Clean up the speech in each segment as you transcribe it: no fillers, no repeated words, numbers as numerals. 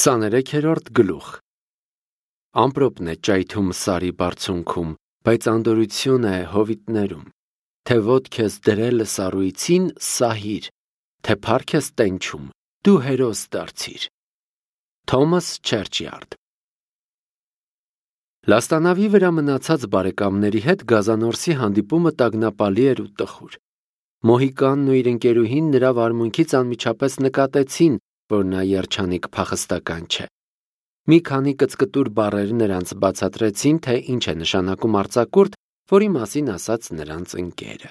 23-րդ գլուխ Ամպրոպն է ճայթում սարի բարձունքում, բայց անդորություն է հովիտներում, թե ոտք ես դրել սառույցին սահիր, թե փառք ես տենչում, դու հերոս դարձիր։ Թոմաս Չերչիարդ Լաստանավի վրա մնացած բարեկամների հետ Գազանորսի հանդիպումը տագնապալի էր ու տխուր։ Մոհիկանն ու իր ընկերուհին նրա վարմունքից անմիջապես նկատեցին, որ նա երջանիկ փախստական չէ։ Մի քանի կծկտուր բառեր նրանց բացատրեցին, թե ինչ է նշանակում արձակուրդ, որի մասին ասաց նրանց ընկերը։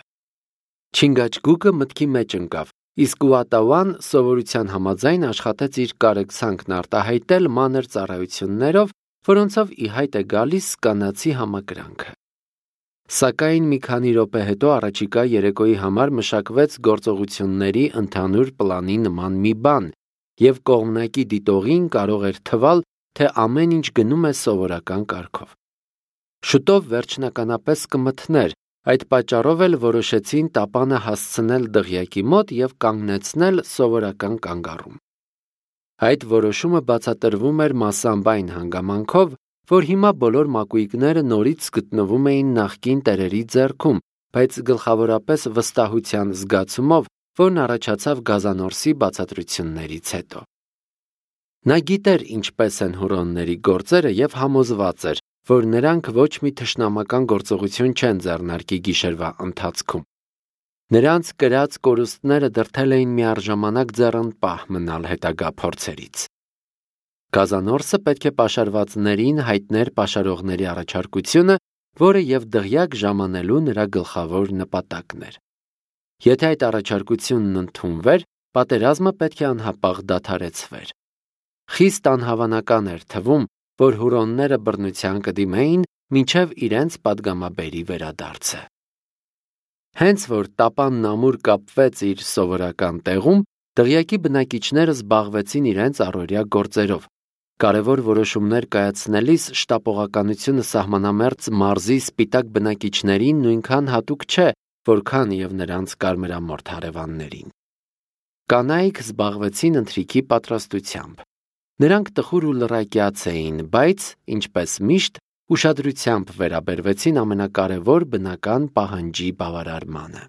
Չինգաչգուկը մտքի մեջ ընկավ, իսկ Ուատավան սովորության համաձայն աշխատեց իր կարեկցանքն արտահայտել մանր ծառայություններով, որոնցով ի հայտ է գալիս կանացի համակրանքը։ Սակայն մի քանի րոպե հետո առաջիկա երեկոյի համար մշակվեց գործողությունների ընդհանուր պլանի նման մի բան, և կողմնակի դիտողին կարող էր թվալ, թե ամեն ինչ գնում է սովորական կարգով։ Շուտով վերջնականապես կմթներ, այդ պատճառով էլ որոշեցին տապանը հասցնել դղյակի մոտ և կանգնեցնել սովորական կանգառում։ Այդ որոշումը բացատրվում էր մասամբ այն հանգամանքով, որ հիմա բոլոր մակույկները նորից գտնվում էին նախկին տերերի ձեռքում, բայց գլխավորապես վստահության զգացումով, որն առաջացավ Գազանորսի բացատրություններից հետո։ Նա գիտեր ինչպես են հուրոնների գործերը և համոզված էր, որ նրանք ոչ մի թշնամական գործողություն չեն ձեռնարկի գիշերվա ընթացքում։ Նրանց կրած կորուստները դրդել էին միառժամանակ ձեռնպահ մնալ հետագա փորձերից։ Գազանորսը պետք է պաշարվածներին հայտներ պաշարողների առաջարկությունը, որը և դղյակ ժամանելու նրա գլխավոր նպատակն էր։ Եթե այդ առաջարկությունն ընդունվեր, պատերազմը պետք է անհապաղ դադարեցվեր։ Խիստ անհավանական էր թվում, որ հուրոնները բռնության կդիմեին մինչև իրենց պատգամաբերի վերադարձը։ Հենց որ տապանն ամուր կապվեց իր սովորական տեղում, դղյակի բնակիչները զբաղվեցին իրենց առօրյա գործերով։ Կարևոր որոշումներ կայացնելիս շտապողականությունը սահմանամերձ մարզի սպիտակ բնակիչներին նույնքան հատուկ չէ, որքան և նրանց կարմրամորթ հարևաններին։ Կանայք զբաղվեցին ընթրիքի պատրաստությամբ։ Նրանք տխուր ու լռակյաց էին, բայց, ինչպես միշտ, ուշադրությամբ վերաբերվեցին ամենակարևոր բնական պահանջի բավարարմանը։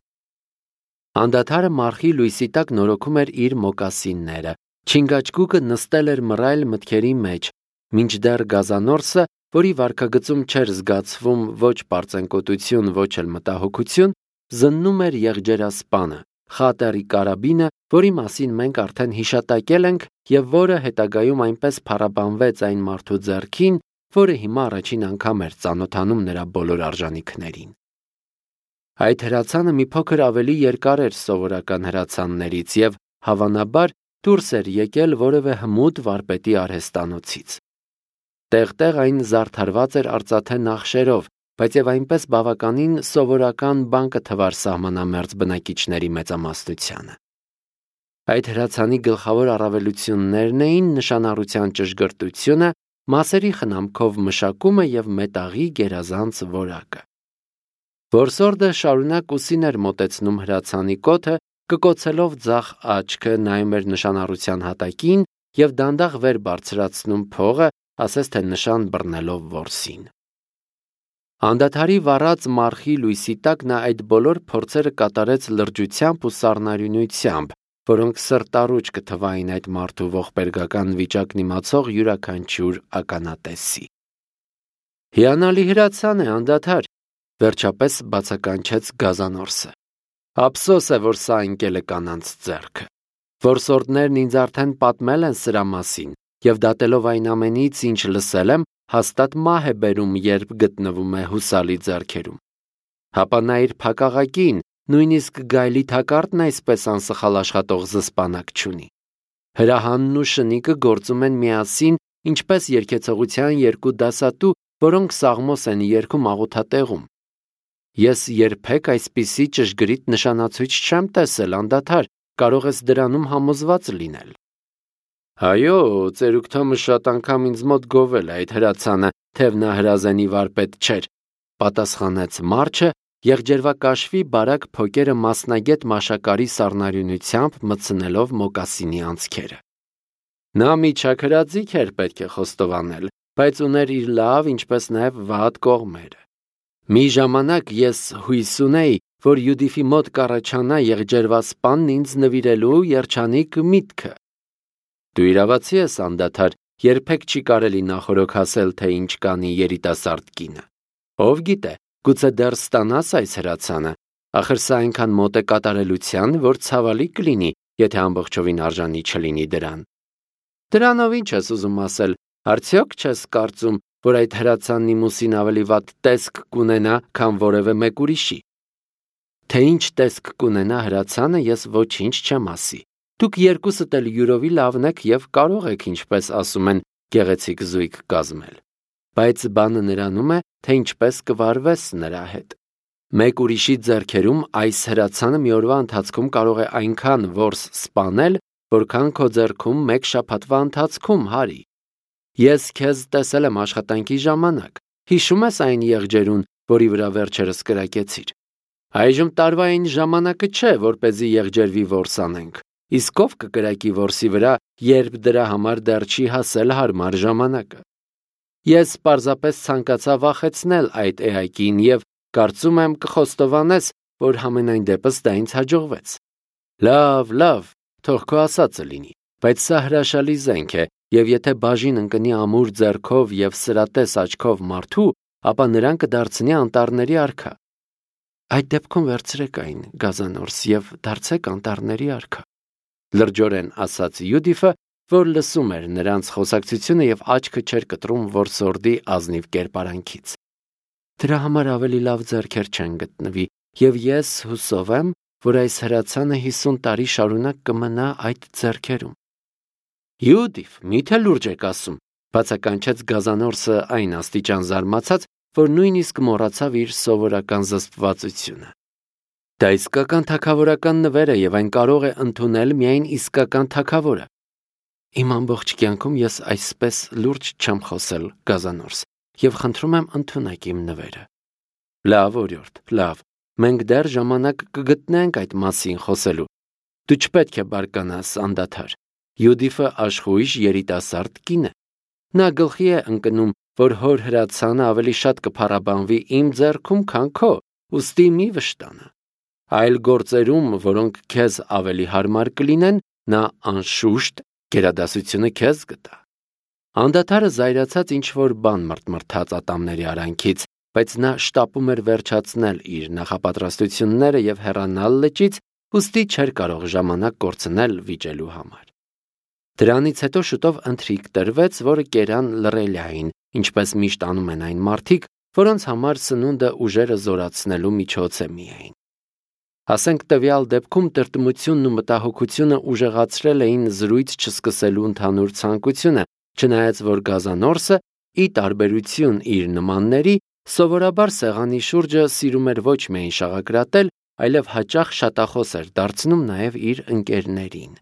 Անդադարը մառխի լույսի տակ նորոգում էր իր մոկասինները, Չինգաչգուկը նստել էր մռայլ մտքերի մեջ, մինչդեռ Գազանորսը, որի վարքագծում չէր զգացվում ոչ պարծենկոտություն, ոչ էլ մտահոգություն, զննում էր եղջերասպանը, խատերի կարաբինը, որի մասին մենք արդեն հիշատակել ենք և որը հետագայում այնպես փառաբանվեց այն մարդու ձեռքին, որը հիմա առաջին անգամ էր ծանոթանում նրա բոլոր արժանիքներին։ Այդ հրացանը մի փոքր ավելի երկար էր սովորական հրացաններից և, հավանաբար, դուրս էր եկել որևէ հմուտ վարպետի արհեստանոցից։ Տեղ-տեղ այն զարդարված էր արծաթե նախշերով, բայց և այնպես բավականին սովորական բան կթվար սահմանամերձ բնակիչների մեծամասնությանը։ Այդ հրացանի գլխավոր առավելություններն էին նշանառության ճշգրտությունը, մասերի խնամքով մշակումը և մետաղի գերազանց որակը։ Որսորդը շարունակ ուսին էր մոտեցնում հրացանի կոթը, կկոցելով ձախ աչքը, նայում էր նշանառության հատակին և դանդաղ վեր բարձրացնում փողը, ասես թե նշան բռնելով որսին։ Անդադարի վառած մառխի լույսի տակ նա այդ բոլոր փորձերը կատարեց լրջությամբ ու սառնարյունությամբ, որոնք սրտառուչ կթվային այդ մարդու ողբերգական վիճակն իմացող յուրաքանչյուր ականատեսի։ Հիանալի հրացան է, անդադար, վերջապես բացականչեց Գազանորսը։ Ափսոս է, որ սա ընկել է կանանց ձեռքը։ Որսորդներն ինձ արդեն պատմել են սրա մասին, և դատելով այն ամենից, ինչ լսել եմ, հաստատ մահ է բերում, երբ գտնվում է հուսալի ձեռքերում։ Հապա նա իր փակաղակին, նույնիսկ գայլի թակարդն այսպես անսխալ աշխատող զսպանակ չունի։ Հրահանն ու շնիկը գործում են միասին, ինչպես երգեցողության երկու դասատու, որոնք սաղմոս են երգում աղոթատեղում։ Ես երբեք այսպիսի ճշգրիտ նշանացույց չեմ տեսել, անդադար, կարող ես դրանում համոզված լինել։ Այո, ծերուկ Թոմը շատ անգամ ինձ մոտ գովել է այդ հրացանը, թեև նա հրազենի վարպետ չէր, պատասխանեց Մարչը, եղջերվակաշվի բարակ փոկերը մասնագետ մաշակարի սառնարյունությամբ մտցնելով մոկասինի անցքերը։ Նա միջաքրածիկ էր պետք է խոստովանել, բայց ուներ իր լավ, ինչպես նաև վատ կողմերը։ Մի ժամանակ ես հույս ունեի, որ Յուդիֆի մոտ կառաջանա եղջերվասպանն ինձ նվիրելու երջանիկ միտքը։ Դու իրավացի ես, անդադար, երբեք չի կարելի նախորոք ասել, թե ինչ կանի երիտասարդ կինը։ Ով գիտե, գուցե դեռ ստանաս այս հրացանը, ախր սա այնքան մոտ է կատարելության, որ ցավալի կլինի, եթե ամբողջովին արժանի չլինի դրան։ Դրանով ինչ ես ուզում ասել, արդյոք չես կարծում, որ այդ հրացանն իմ ուսին ավելի վատ տեսք կունենա, քան որևէ մեկ ուրիշի։ Թե ինչ տեսք կունենա հրացանը, ես ոչինչ չեմ ասի։ Դուք երկուսդ էլ յուրովի լավն եք և կարող եք, ինչպես ասում են, գեղեցիկ զույգ կազմել։ Բայց բանը նրանում է, թե ինչպես կվարվես նրա հետ։ Մեկ ուրիշի ձեռքերում այս հրացանը մի օրվա ընթացքում կարող է այնքան որս սպանել, որքան քո ձեռքում մեկ շաբաթվա ընթացքում, Հարի։ Ես քեզ տեսել եմ աշխատանքի ժամանակ։ Հիշում ես այն եղջերուն, որի վրա վերջերս կրակեցիր։ Այժմ տարվա այն ժամանակը չէ, որպեսզի եղջերվի որս անենք։ Իսկ ով կկրակի որսի վրա, երբ դրա համար դեռ չի հասել հարմար ժամանակը։ Ես պարզապես ցանկացա վախեցնել այդ էակին և կարծում եմ կխոստովանես, որ համենայն դեպս դա ինձ հաջողվեց։ Լավ, թող քո ասածը լինի, բայց սա հրաշալի զենք է, և եթե բաժին ընկնի ամուր ձեռքով և սրատես աչքով մարդու, ապա նրան կդարձնի անտառների արքա։ Այդ դեպքում վերցրեք այն, գազանորս, և դարձեք անտառների արքա։ Լրջորեն ասաց Յուդիֆը, որ լսում էր նրանց խոսակցությունը և աչքը չէր կտրում որսորդի ազնիվ կերպարանքից։ Դրա համար ավելի լավ ձեռքեր չեն գտնվի, և ես հուսով եմ, որ այս հրացանը 50 տարի շարունակ կմնա այդ ձեռքերում։ Յուդիֆ, միթե լուրջ եք ասում, բացականչեց գազանորսը այն աստիճան զարմացած, որ նույնիսկ մոռացավ իր սովորական զսպվածությունը։ Դա իսկական թագավորական նվեր է և այն կարող է ընդունել միայն իսկական թագավորը։ Իմ ամբողջ կյանքում ես այսպես լուրջ չեմ խոսել, գազանորս, և խնդրում եմ ընդունեք իմ նվերը։ Լավ, օրիորդ, լավ, մենք դեռ ժամանակ կգտնենք այդ մասին խոսելու։ Դու չպետք է բարկանաս, անդադար։ Յուդիֆը աշխույժ երիտասարդ կին է։ Նա գլխի է ընկնում, որ հոր հրացանը ավելի շատ կփառաբանվի իմ ձեռքում, քան քո, ուստի մի վշտանա։ Այլ գործերում, որոնք քեզ ավելի հարմար կլինեն, նա անշուշտ գերադասությունը քեզ կտա։ Անդադարը զայրացած ինչ-որ բան մրթմրթաց ատամների արանքից, բայց նա շտապում էր վերջացնել իր նախապատրաստությունները և հեռանալ լճից, ուստի չէր կարող ժամանակ կորցնել վիճելու համար։ Դրանից հետո շուտով ընթրիք տրվեց, որը կերան լռելիային, ինչպես միշտ անում են այն մարդիկ, որոնց համար սնունդը ուժերը զորացնելու միջոց է միայն։ Ասենք տվյալ դեպքում տրտմությունն ու մտահոգությունը ուժեղացրել էին զրույց չսկսելու ընդհանուր ցանկությունը, չնայած որ գազանորսը, ի տարբերություն իր նմանների, սովորաբար սեղանի շուրջը սիրում էր ոչ միայն շաղակրատել, այլև հաճախ շատախոս էր դարձնում նաև իր ընկերներին։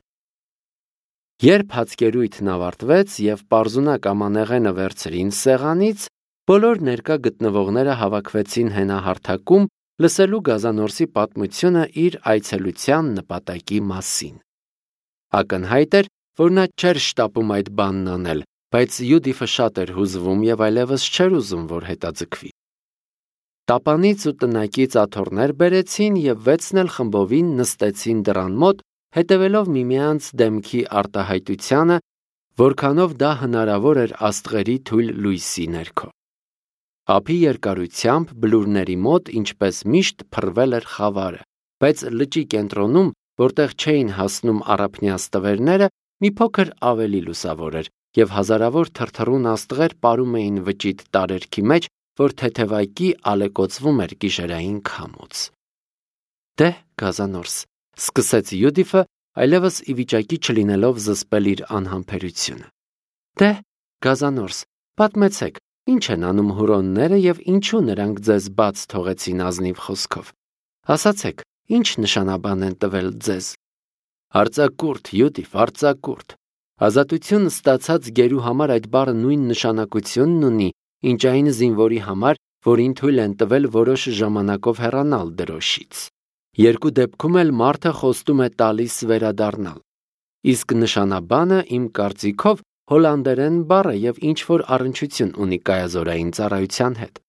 Երբ հացկերույթն ավարտվեց և պարզունակ ամանեղենը վերցրին սեղանից, բոլոր ներկա գտնվողները հավաքվեցին հենահարթակում լսելու գազանորսի պատմությունը իր այցելության նպատակի մասին։ Ակնհայտ էր, որ նա չէր շտապում այդ բանն անել, բայց Յուդիֆը շատ էր հուզվում և այլևս չէր ուզում, որ հետաձգվի։ Տապանից ու տնայքից աթոռներ բերեցին և 6-ն էլ խմբովին նստեցին դռան մոտ, հետևելով միմյանց դեմքի արտահայտությանը, որքանով դա հնարավոր էր աստղերի թույլ լույսի ներքո։ Ափի երկարությամբ բլուրների մոտ, ինչպես միշտ, փռվել էր խավարը, բայց լճի կենտրոնում, որտեղ չէին հասնում առափնյա ստվերները, մի փոքր ավելի լուսավոր էր, և հազարավոր թրթռուն աստղեր պարում էին վճիտ տարերքի մեջ, որ թեթևակի ալեկոծվում էր գիշերային քամուց։ Դե, գազանորս, սկսեց Յուդիֆը, այլևս ի վիճակի չլինելով զսպել իր անհամբերությունը։ Դե, գազանորս, պատմեցեք, ինչ են անում հուրոնները և ինչու նրանք ձեզ բաց թողեցին ազնիվ խոսքով։ Ասացեք, ինչ նշանաբան են տվել ձեզ։ Արձակուրդ, Յուդիֆ, արձակուրդ։ Ազատություն ստացած գերու համար այդ բառը նույն նշանակությունն ունի, ինչ այն զինվորի համար, որին թույլ են տվել որոշ ժամանակով հեռանալ դրոշից։ Երկու դեպքում էլ մարդը խոստում է տալիս վերադառնալ։ Իսկ նշանաբանը իմ կարծիքով հոլանդերեն բառ է եւ ինչ-որ առնչություն ունի կայազորային ծառայության հետ։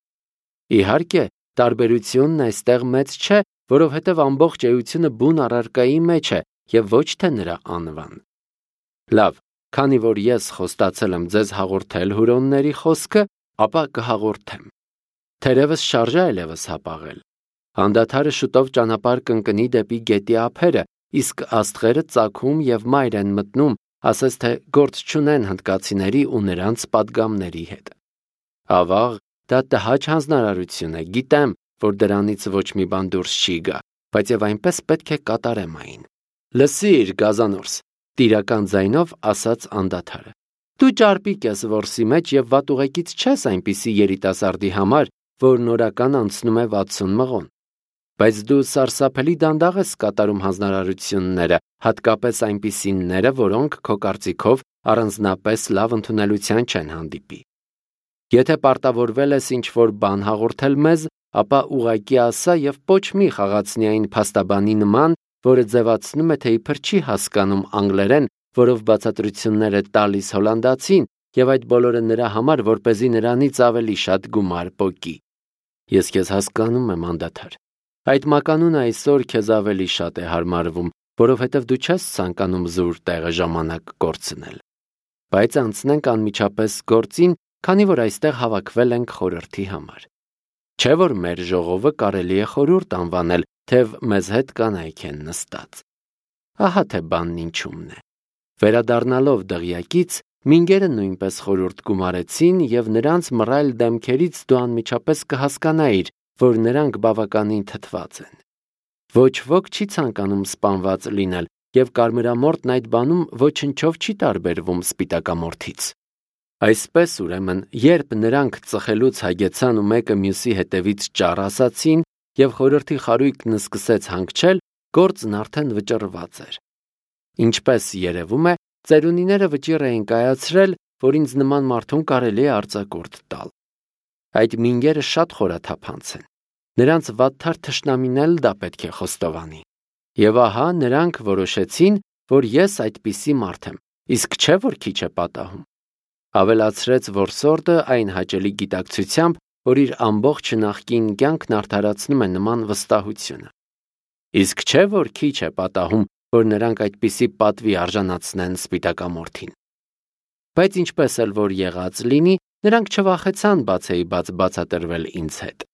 Իհարկե, տարբերությունն այստեղ մեծ չէ, որովհետև ամբողջ էությունը բուն առարկայի մեջ է եւ ոչ թե նրա անվան։ Լավ, քանի որ ես խոստացել եմ ձեզ հաղորդել հուրոնների խոսքը, ապա կհաղորդեմ։ Թերևս շարժ է այլևս հապաղել։ Հանդադարը շուտով ճանապարհ կընկնի դեպի գետի ափերը, իսկ աստղերը ծագում եւ մայր են մտնում, ասես թե գործ չունեն հնդկացիների ու նրանց պատգամների հետ։ Ավաղ, դա տհաճ հանձնարարություն է, գիտեմ, որ դրանից ոչ մի բան դուրս չի գա, բայց եւ այնպես պետք է կատարեմ այն։ Լսիր, գազանորս, տիրական ձայնով ասաց անդադարը։ Դու ճարպիկ ես որսի մեջ եւ վատուղեկից չես այնպիսի երիտասարդի համար, որ նորական անցնում է 60 մղոն։ Բայց դու սարսափելի դանդաղ ես կատարում հանձնարարությունները, հատկապես այնպիսիները, որոնք քո կարծիքով առանձնապես լավ ընդունելության չեն հանդիպի։ Եթե պարտավորվել ես ինչ-որ բան հաղորդել մեզ, ապա ուղղակի ասա եւ ոչ մի խաղացնի այն փաստաբանի նման, որը ձևացնում է, թե իբր չի հասկանում անգլերեն, որով բացատրություններ է տալիս հոլանդացին, եւ այդ բոլորը նրա համար, որպեսզի նրանից ավելի շատ գումար պոկի։ Ես քեզ հասկանում եմ, անդադար։ Այդ մականունը այսօր քեզ ավելի շատ է հարմարվում, որովհետև դու չես ցանկանում զուր տեղը ժամանակ կորցնել։ Բայց անցնենք անմիջապես գործին, քանի որ այստեղ հավաքվել ենք խորհրդի համար։ Չէ՞ որ մեր ժողովը կարելի է խորհուրդ անվանել, թեև մեզ հետ կանայք են նստած։ Ահա թե բանն ինչումն է։ Վերադառնալով դղյակից, մինգերը նույնպես խորհուրդ գումարեցին եւ նրանց մռայլ դեմքերից դու անմիջապես կհասկանայիր, որ նրանք բավականին թթված են։ Ոչ ոք չի ցանկանում սպանված լինել, եւ կարմրամորտն այդ բանում ոչնչով չի տարբերվում սպիտակամորթից։ Այսպես ուրեմն, երբ նրանք ծխելուց հագեցան ու մեկը մյուսի հետևից ճառ ասացին եւ խորհրդի խարույկն սկսեց հանգչել, գործն արդեն վճռված էր։ Ինչպես երևում է, ծերունիները վճիռ էին կայացրել, որ ինձ նման մարդուն կարելի է արձակուրդ տալ։ Այդ մինգերը շատ խորաթափանց են։ Նրանց վատթար թշնամին էլ դա պետք է խոստովանի։ Եվ ահա նրանք որոշեցին, որ ես այդպիսի մարդ եմ, իսկ չէ որ քիչ է պատահում։ Ավելացրեց որսորդը այն հաճելի գիտակցությամբ, որ իր ամբողջ նախկին կյանքն արդարացնում է նման վստահությունը։ Իսկ չէ որ քիչ է պատահում, որ նրանք այդպիսի պատվի արժանացնեն սպիտակամորթին։ Բայց ինչպես էլ որ եղած լինի, նրանք չվախեցան բացեիբաց բացատրվել ինձ հետ։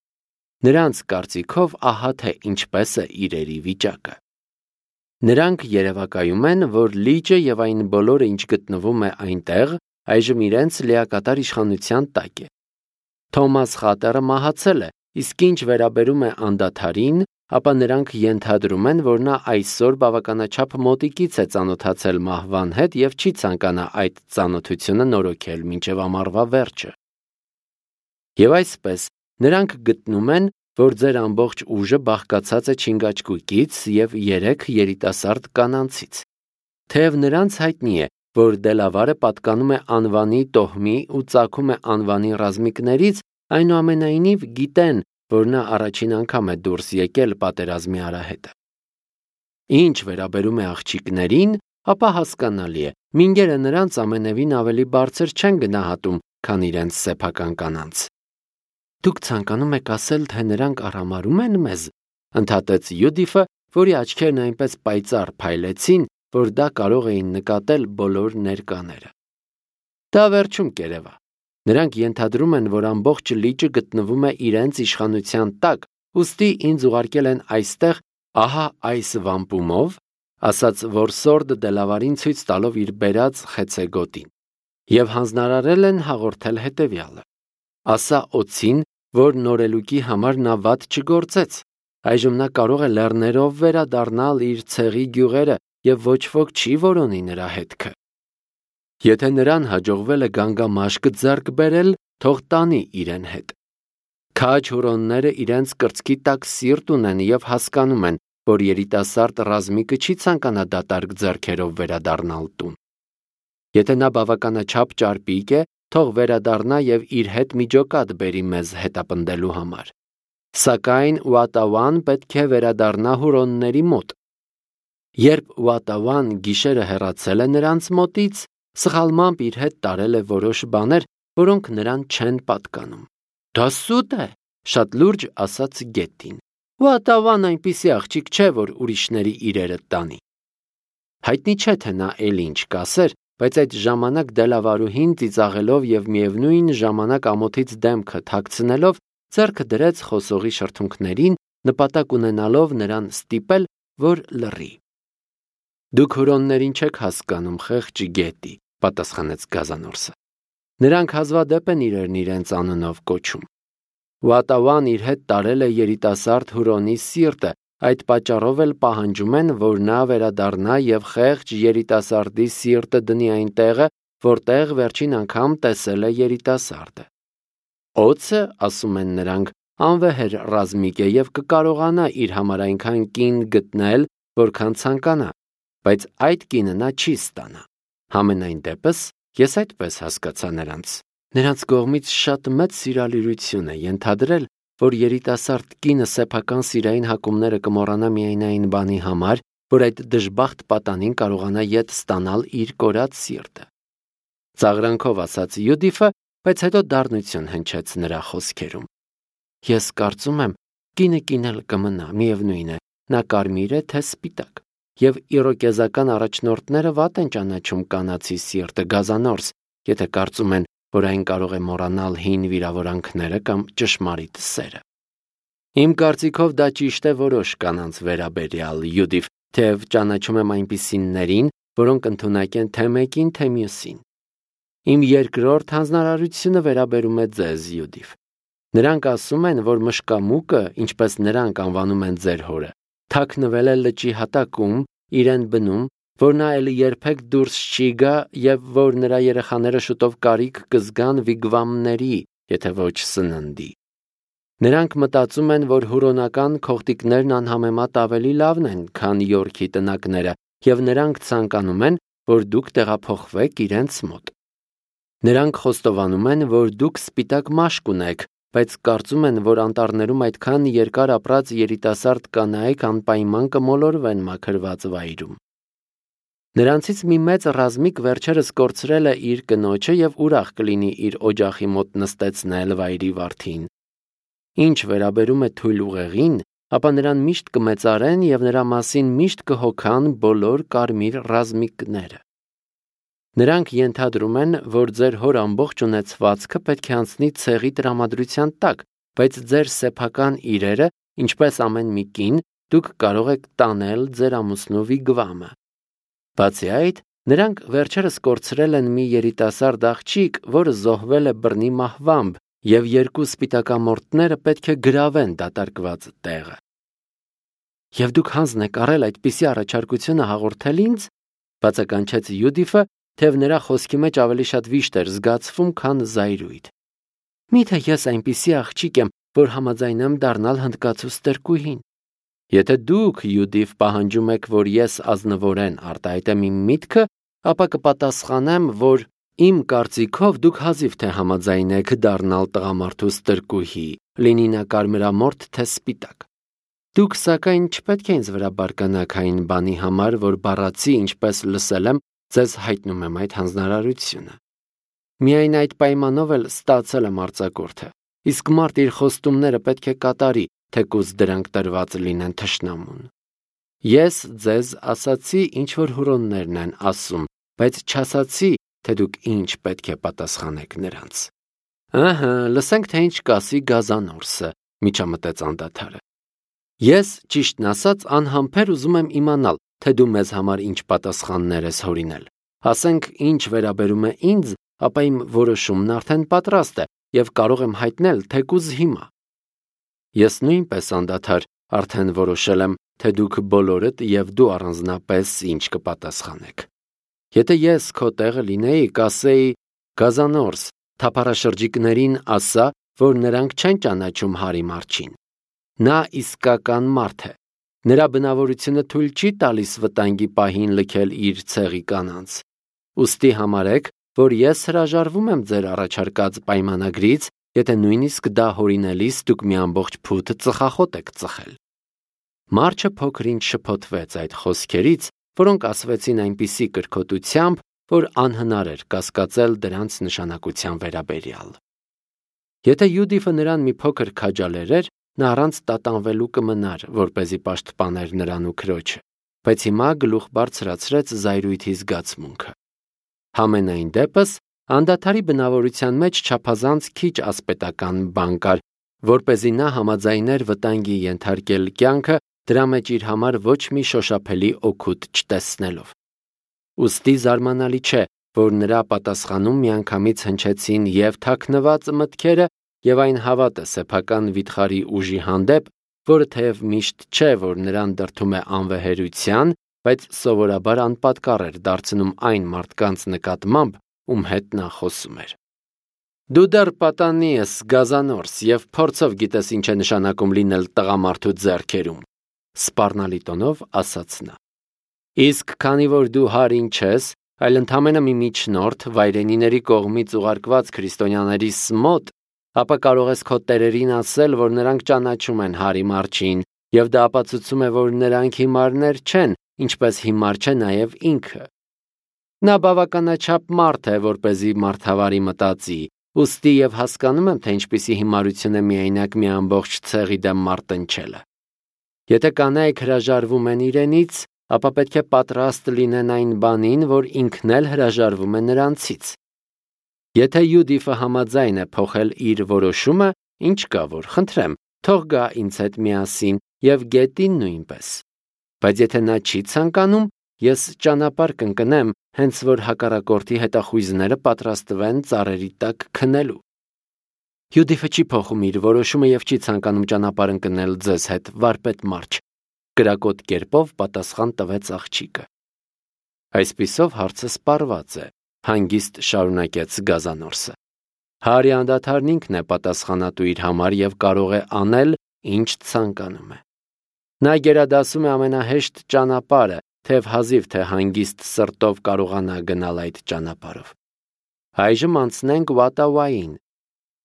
Նրանց կարծիքով ահա թե ինչպես է իրերի վիճակը։ Նրանք երևակայում են, որ լիճը եւ այն բոլորը, ինչ գտնվում է այնտեղ, այժմ իրենց լիակատար իշխանության տակ է։ Թոմաս Խատերը մահացել է, իսկ ինչ վերաբերում է անդադարին, ապա նրանք ենթադրում են, որ նա այսօր բավականաչափ մոտիկից է ծանոթացել մահվան հետ եւ չի ցանկանա այդ ծանոթությունը նորոգել մինչեւ ամառվա վերջը։ Եվ այսպես նրանք գտնում են, որ ձեր ամբողջ ուժը բաղկացած է չինգաչկուկից եւ 3 երիտասարդ կանանցից։ Թեև նրանց հայտնի է, որ Դելավարը պատկանում է անվանի տոհմի ու ծագում է անվանի ռազմիկներից, այնուամենայնիվ գիտեն, որ նա առաջին անգամ է դուրս եկել պատերազմի արահետը։ Ինչ վերաբերում է աղջիկներին, ապա հասկանալի է, մինգերը նրանց ամենևին ավելի բարձր չեն գնահատում, քան իրենց սեփական կանանց։ Դուք ցանկանում եք ասել, թե նրանք արհամարհում են մեզ, ընդհատեց Յուդիֆը, որի աչքերն այնպես պայծառ փայլեցին, որ դա կարող էին նկատել բոլոր ներկաները։ Դա վերջում կերևա։ Նրանք ենթադրում են, որ ամբողջ լիճը գտնվում է իրենց իշխանության տակ, ուստի ինձ ուղարկել են այստեղ, ահա այս վամպումով, ասաց որսորդը Դելավարին ցույց տալով իր բերած խեցեգոտին, եւ հանձնարարել են հաղորդել հետեւյալը. ասա օձին, որ նորելուկի համար նա վատ չգործեց, այժմ նա կարող է լեռներով վերադառնալ իր ցեղի գյուղերը եւ ոչ ոք չի որոնի նրա հետքը։ Եթե նրան հաջողվել է գանգամաշկ ձեռք բերել, թող տանի իրեն հետ։ Քաջ հուրոնները իրենց կրծքի տակ սիրտ ունեն եւ հասկանում են, որ երիտասարդ ռազմիկը չի ցանկանա դատարկ ձեռքերով վերադառնալ տուն։ Եթե նա բավականաչափ ճարպիկ է, թող վերադառնա եւ իր հետ միջոկատ բերի մեզ հետապնդելու համար։ Սակայն Ուատաուան պետք է վերադառնա հուրոնների մոտ։ Երբ Ուատավան գիշերը հեռացել է նրանց մոտից, սխալմամբ իր հետ տարել է որոշ բաներ, որոնք նրան չեն պատկանում։ «Դա սուտ է», շատ լուրջ ասաց գետին։ «Ուատավան այնպիսի աղջիկ չէ, որ ուրիշների իրերը տանի»։ Հայտնի չէ, թե նա էլի ինչ կասեր, բայց այդ ժամանակ դելավարուհին ծիծաղելով եւ միևնույն ժամանակ ամոթից դեմքը թաքցնելով ձեռքը դրեց խոսողի շրթունքներին, նպատակ ունենալով նրան ստիպել, որ լռի։ «Դուք հուրոններին չեք հասկանում, խեղճ գետի», պատասխանեց Գազանորսը։ «Նրանք հազվադեպ են իրեն իրենց անունով կոչում։ Ուատավան իր հետ տարել է երիտասարդ հուրոնի սիրտը, այդ պատճառով էլ պահանջում են, որ նա վերադառնա եւ խեղճ երիտասարդի սիրտը դնի այն տեղը, որտեղ վերջին անգամ տեսել է երիտասարդը։ Օձը, ասում են նրանք, անվեհեր ռազմիկ է եւ կկարողանա իր համար այնքան կին գտնել, որքան ցանկանա, բայց այդ կինը նա չի ստանա։ Համենայն դեպս, ես այդպես հասկացա նրանց։ Նրանց կողմից շատ մեծ սիրալիրություն է ենթադրել, որ երիտասարդ կինը սեփական սիրային հակումները կմոռանա միայն այն բանի համար, որ այդ դժբախտ պատանին կարողանա ետ ստանալ իր կորած սիրտը։ Ծաղրանքով ասաց Յուդիֆը, բայց հետո դառնություն հնչեց նրա խոսքերում։ Ես կարծում եմ, կինը կինել կմնա, միևնույն է, նա կարմիր է, թե սպիտակ, եւ իրոկեզական առաջնորդները վատ են ճանաչում կանացի սիրտը, Գազանորս, եթե կարծում են, որ այն կարող է մոռանալ հին վիրավորանքները կամ ճշմարիտ սերը։ Իմ կարծիքով դա ճիշտ է որոշ կանանց վերաբերյալ, Յուդիֆ, թեև ճանաչում եմ այնպիսիներին, որոնք ընդունակ են թե մեկին, թե մյուսին։ Իմ երկրորդ հանձնարարությունը վերաբերում է ձեզ, Յուդիֆ։ Նրանք ասում են, որ մշկամուկը, ինչպես նրանք անվանում են ձեր հորը, թաքնվել է լճի հատակում, իրեն բնում, որ նա էլի երբեք դուրս չի գա եւ որ նրա երեխաները շուտով կարիք կզգան վիգվամների, եթե ոչ սննդի։ Նրանք մտածում են, որ հուրոնական քողտիկներն անհամեմատ ավելի լավն են, քան Յորքի տնակները, եւ նրանք ցանկանում են, որ դուք տեղափոխվեք իրենց մոտ։ Նրանք խոստովանում են, որ դուք սպիտակ մաշկ ունեք, բայց կարծում են, որ անտառներում այդքան երկար ապրած երիտասարդ կանայք անպայման կմոլորվեն մաքրված վայրում։ Նրանցից մի մեծ ռազմիկ վերջերս կորցրել է իր կնոջը եւ ուրախ կլինի իր օջախի մոտ նստեցնել վայրի վարդին։ Ինչ վերաբերում է թույլ ուղեղին, ապա նրան միշտ կմեծարեն եւ նրա մասին միշտ կհոգան բոլոր կարմիր ռազմիկները։ Նրանք ենթադրում են, որ ձեր հոր ամբողջ ունեցվածքը պետք է անցնի ցեղի տրամադրության տակ, բայց ձեր սեփական իրերը, ինչպես ամեն մի կին, դուք կարող եք տանել ձեր ամուսնու վիգվամը։ Բացի այդ, նրանք վերջերս կորցրել են մի երիտասարդ աղջիկ, որը զոհվել է բռնի մահվամբ, եւ երկու սպիտակամորթները պետք է գրավեն դատարկված տեղը։ Եվ դուք հանձն եք առել այդպիսի առաջարկությունը հաղորդել ինձ, բացականչեց Յուդիֆը, թեև նրա խոսքի մեջ ավելի շատ վիշտ էր զգացվում, քան զայրույթ։ Միթե ես այնպիսի աղջիկ եմ, որ համաձայնեմ դառնալ հնդկացու ստրկուհին։ Եթե դուք, Յուդիֆ, պահանջում եք, որ ես ազնվորեն արտահայտեմ իմ միտքը, ապա կպատասխանեմ, որ իմ կարծիքով դուք հազիվ թե համաձայնեք դառնալ տղամարդու ստրկուհի, լինի նա կարմրամորթ թե սպիտակ։ Դուք սակայն չպետք է ինձ վրա բարկանաք այն բանի համար, որ բառացի, ինչպես լսել եմ, ձեզ հայտնում եմ այդ հանձնարարությունը։ Միայն այդ պայմանով էլ ստացել եմ արձակուրդը, իսկ մարդ իր խոստումները պետք է կատարի, թեկուզ դրանք տրված լինեն թշնամուն։ Ես ձեզ ասացի, ինչ որ հուրոններն են ասում, բայց չասացի, թե դուք ինչ պետք է պատասխանեք նրանց։ Ահա, լսենք, թե ինչ կասի Գազանորսը, միջամտեց անդադարը։ Ես, ճիշտն ասած, անհամբեր ուզում եմ իմանալ, թե դու մեզ համար ինչ պատասխաններ ես հորինել։ Ասենք, ինչ վերաբերում է ինձ, ապա իմ որոշումն արդեն պատրաստ է եւ կարող եմ հայտնել թեկուզ հիմա։ Ես նույնպես անդադար արդեն որոշել եմ, թե դուք բոլորդ եւ դու առանձնապես ինչ կպատասխանեք։ Եթե ես քո տեղը լինեի, կասեի. Գազանորս, թափառաշրջիկներին ասա, որ նրանք չեն ճանաչում Հարի Մարչին։ Նա իսկական մարդ է։ Նրա բնավորությունը թույլ չի տալիս վտանգի պահին լքել իր ցեղի կանանց։ Ուստի համարեք, որ ես հրաժարվում եմ ձեր առաջարկած պայմանագրից, եթե նույնիսկ դա հորինելիս դուք մի ամբողջ փութ ծխախոտ եք ծխել։ Մարչը փոքր-ինչ շփոթվեց այդ խոսքերից, որոնք ասվեցին այնպիսի կրքոտությամբ, որ անհնար էր կասկածել դրանց նշանակության վերաբերյալ։ Եթե Յուդիֆը նրան մի փոքր քաջալերեր, նա առանց տատանվելու կմնար, որպեսզի պաշտպաներ նրան ու քրոջը, բայց հիմա գլուխ բարձրացրեց զայրույթի զգացմունքը։ Համենայն դեպս, անդադարի բնավորության մեջ չափազանց քիչ ասպետական բան կար, որպեսզի նա համաձայներ վտանգի ենթարկել կյանքը, դրա մեջ իր համար ոչ մի շոշափելի օգուտ չտեսնելով։ Ուստի զարմանալի չէ, որ նրա պատասխանում միանգամից հնչեցին և թաքնված մտքերը, և այն հավատը սեփական վիթխարի ուժի հանդեպ, որը թեև միշտ չէ, որ նրան դրդում է անվեհերության, բայց սովորաբար անպատկառ էր դարձնում այն մարդկանց նկատմամբ, ում հետ նա խոսում էր։ Դու դեռ պատանի ես, գազանորս, և փորձով գիտես ինչ է նշանակում լինել տղամարդու ձեռքերում, սպառնալի տոնով ասաց նա։ Իսկ քանի որ դու հարին չես, այլ ընդամենը մի միջնորդ վայրենիների կողմից ուղարկված քրիստոնյաներիս մոտ, ապա կարող ես քո տերերին ասել, որ նրանք ճանաչում են հարի մարջին, և դա ապացուցում է, որ նրանք հիմարներ չեն, ինչպես հիմար չէ նաև ինքը։ Նա բավականաչափ մարդ է, որպեսզի մարդավարի մտածի, ուստի և հասկանում եմ, թե ինչպիսի հիմարություն է միայնակ մի ամբողջ ցեղի դեմ մարտնչելը։ Եթե կանայք հրաժարվում են իրենից, ապա պետք է պատրաստ լինեն այն բանին, որ ինքն էլ հրաժարվում է նրանցից։ Եթե Յուդիֆը համաձայն է փոխել իր որոշումը, ինչ կա որ, խնդրեմ, թող գա ինձ հետ միասին և գետին նույնպես։ Բայց եթե նա չի ցանկանում, ես ճանապարհ կընկնեմ, հենց որ հակառակորդի հետախույզները պատրաստվեն ծառերի տակ քնելու։ Յուդիֆը չի փոխում իր որոշումը և չի ցանկանում ճանապարհ ընկնել ձեզ հետ, վարպետ Մարչ, կրակոտ կերպով պատասխան տվեց աղջիկը։ Այսպիսով հարցը սպառված է, հանգիստ շարունակեց գազանորսը։ Հարի անդադարն ինքն է պատասխանատու իր համար և կարող է անել, ինչ ցանկանում է։ Նա գերադասում է ամենահեշտ ճանապարհը, թեև հազիվ թե հանգիստ սրտով կարողանա գնալ այդ ճանապարհով։ Այժմ անցնենք Ուատավային։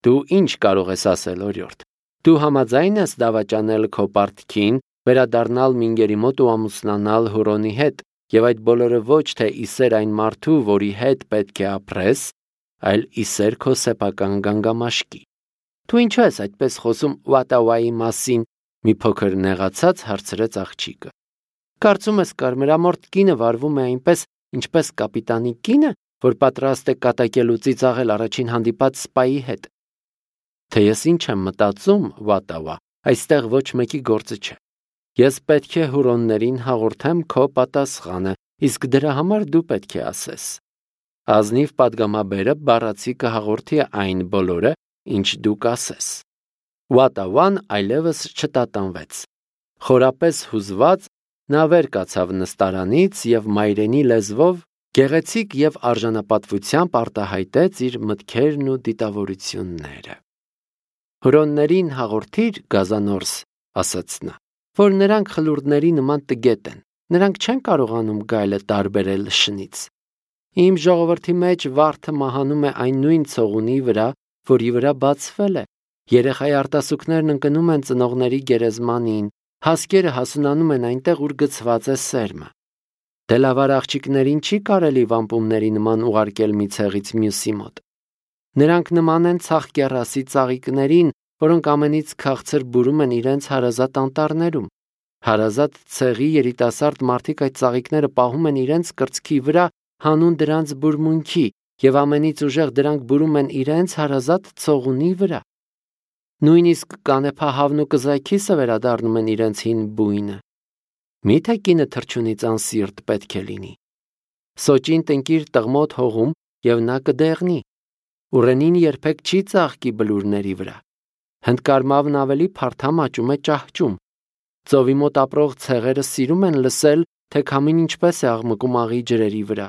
Դու ինչ կարող ես ասել, օրիորդ։ Դու համաձայն ես դավաճանել քո պարտքին, վերադառնալ Մինգերի մոտ ու ամուսնանալ Հուրոնի հետ, և այդ բոլորը ոչ թե ի սեր այն մարդու, որի հետ պետք է ապրես, այլ ի սեր քո սեփական գանգամաշկի։ Դու ինչու ես այդպես խոսում Ուատավայի մասին, մի փոքր նեղացած հարցրեց աղջիկը։ Կարծում ես կարմրամորթ կինը վարվում է այնպես, ինչպես կապիտանի կինը, որ պատրաստ է կատակելու ծիծաղել առաջին հանդիպած սպայի հետ։ Թե ես ինչ եմ մտածում, Ուատավա, այստեղ ոչ մեկի գործը չէ։ Ես պետք է հուրոններին հաղորդեմ քո պատասխանը, իսկ դրա համար դու պետք է ասես։ Ազնիվ պատգամաբերը բառացի կհաղորդի այն բոլորը, ինչ դու կասես։ Ուատավան այլևս չտատանվեց։ Խորապես հուզված, նա վեր կացավ նստարանից և մայրենի լեզվով գեղեցիկ և արժանապատվությամբ արտահայտեց իր մտքերն ու դիտավորությունները։ Հուրոններին հաղորդիր, գազանորս, ասաց նա, որ նրանք խլուրդների նման տգետ են, նրանք չեն կարողանում գայլը տարբերել շնից։ Իմ ժողովրդի մեջ վարդը մահանում է այն նույն ցողունի վրա, որի վրա բացվել է, երեխայի արտասուքներն ընկնում են ծնողների գերեզմանին, հասկերը հասունանում են այնտեղ, ուր գցված է սերմը։ Դելավար աղջիկներին չի կարելի վամպումների նման ուղարկել մի ցեղից մյուսի մոտ։ Նրանք նման են ցաղկեռասի ծաղիկներին, որոնք ամենից քաղցր բուրում են իրենց հարազատ անտառներում։ Հարազատ ցեղի երիտասարդ մարդիկ այդ ծաղիկները պահում են իրենց կրծքի վրա հանուն դրանց բուրմունքի և ամենից ուժեղ դրանք բուրում են իրենց հարազատ ցողունի վրա։ Նույնիսկ կանեփահավն ու կզաքիսը վերադառնում են իրենց հին բույնը։ Միթե կինը թռչունից անսիրտ պետք է լինի։ Սոճին տնկիր տղմոտ հողում և նա կդեղնի։ Ուռենին երբեք չի ծաղկի բլուրների վրա։ Հնդկարմավն ավելի փարթամ աճում է ճահճում։ Ծովի մոտ ապրող ցեղերը սիրում են լսել, թե քամին ինչպես է աղմկում աղի ջրերի վրա։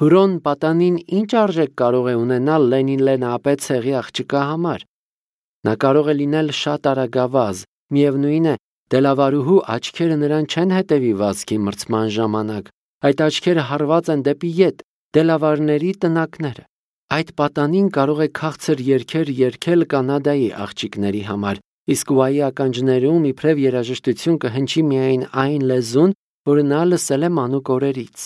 Հուրոն պատանին ինչ արժեք կարող է ունենալ Լենին-Լենապե ցեղի աղջկա համար։ Նա կարող է լինել շատ արագավազ, միևնույն է, դելավարուհու աչքերը նրան չեն հետևի վազքի մրցման ժամանակ, այդ աչքերը հարված են դեպի ետ, դելավարների տնակները։ Այդ պատանին կարող է քաղցր երգեր երգել Կանադայի աղջիկների համար, Իսկ ուայի ականջներում իբրև երաժշտություն կհնչի միայն այն լեզուն, որը նա լսել է մանուկ օրերից։